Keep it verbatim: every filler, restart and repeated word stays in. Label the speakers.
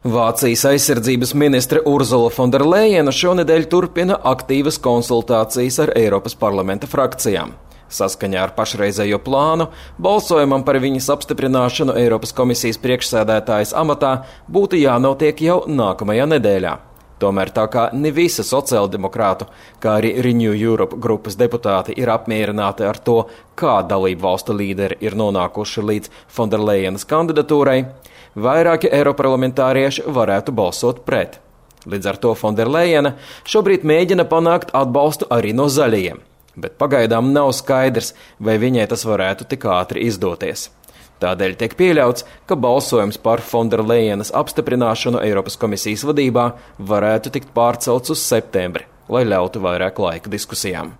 Speaker 1: Vācijas aizsardzības ministre Urzula Fonderlejena šonedēļ turpina aktīvas konsultācijas ar Eiropas parlamenta frakcijām. Saskaņā ar pašreizējo plānu, balsojumam par viņas apstiprināšanu Eiropas komisijas priekšsēdētājas amatā būtu jānotiek jau nākamajā nedēļā. Tomēr tā kā ne visi sociāldemokrātu, kā arī Renew Europe grupas deputāti ir apmierināti ar to, kā dalību valstu līderi ir nonākuši līdz Fonderlejenas kandidatūrai, vairāki eiroparlamentārieši varētu balsot pret. Līdz ar to Fonderlejena šobrīd mēģina panākt atbalstu arī no zaļajiem, bet pagaidām nav skaidrs, vai viņai tas varētu tik ātri izdoties. Tādēļ tiek pieļauts, ka balsojums par Fonderlejenas apstiprināšanu Eiropas komisijas vadībā varētu tikt pārcelts uz septembri, lai ļautu vairāk laika diskusijām.